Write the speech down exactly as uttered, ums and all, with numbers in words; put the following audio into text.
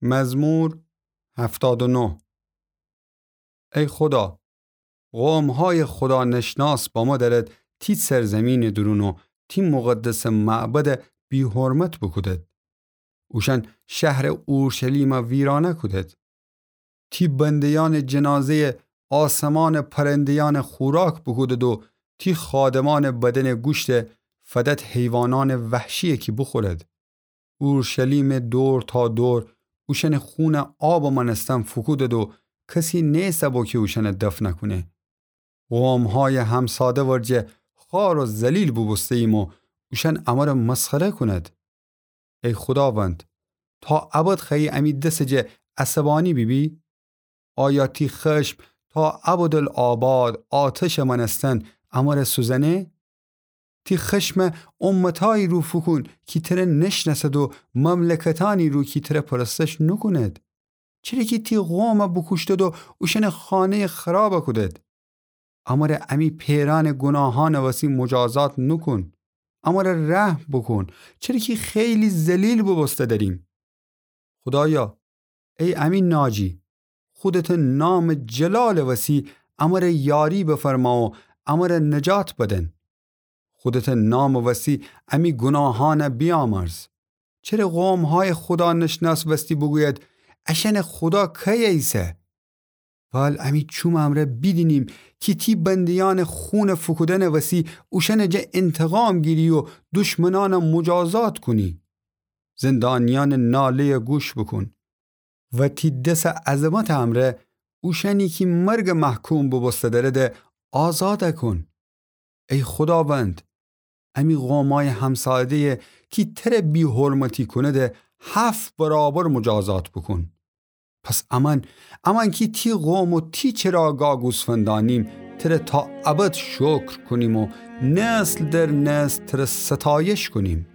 مزمور هفتاد و نه. ای خودا، قوم‌های خودانشناس بامو دأرد تی سرزمینٚ دورون و تی مقدسٚ معبد بی‌حرمت بوکودد. اوشأن شهرٚ اورشلیمَ ویرانه کودد. تی بنده‌یأنٚ جنازه‌یَ آسمانٚ پرنده‌یأنٚ خوراک بوکودد و تی خادمأنٚ بدنٚ گوشتَ فدد حیوانأنٚ وحشیَ کی بوخورد. اورشلیمٚ دور تا دور اوشأنٚ خونَ آبٚ مأنستن فوکودد و کسی نیسه بو کی اوشأنَ دفن کونه. قوم‌هایٚ همساده ورجه خوار و ذلیل بوبوسته‌ییم و اوشأن امرَ مسخره کونید. ای خوداوند، تا ابد خوأیی امی دسٚ جا عصبانی بیبی؟ آیا تی خشم تا ابدالآباد آتشٚ مأنستن امرَ سوزأنه؟ تی خشمَ امتأیی رو فوکون کی ترَ نشنأسد و مملکتأنی رو کی ترَ پرستش نوکونید. چره کی تی قومَ بوکوشتد و اوشأنٚ خانه‌یَ خرابَ کودید. امرَ امی پئرأنٚ گوناهأنٚ وسی مجازات نوکون. امرَ رحم بوکون، چره کی خیلی ذلیل بوبوسته دأریم. خودایا، ای امی ناجی، خودتٚ نامٚ جلالٚ وسی امرَ یاری بفرما و امرَ نجات بدن. خودتٚ نامٚ وسی امی گوناهأنَ بیامرز. چره قوم‌هایٚ خودانشناس وستی بوگوید: اشأنٚ خودا کیه ایسه؟ وال امی چومٚ امرأ بیدینیم کی تی بنده‌یأنٚ خونٚ فوکودنٚ وسی اوشأنٚ جا انتقام گیری و دشمنأنَ مجازات کونی. زندانیأنٚ ناله‌یَ گوش بوکون و تی دسٚ عظمتٚ امرأ اوشأنی کی مرگَ محکوم بوبوسته دأرده آزادَ کون. ای خوداوند، امی قومأیٚ همساده‌یَ کی ترَ بی‌حرمتی کونده هفت برابر مجازات بوکون. پس امأن، امأن کی تی قوم و تی چراگا گوسفندأنیم، ترَ تا ابد شکر کونیم و نسل در نسل ترَ ستایش کونیم.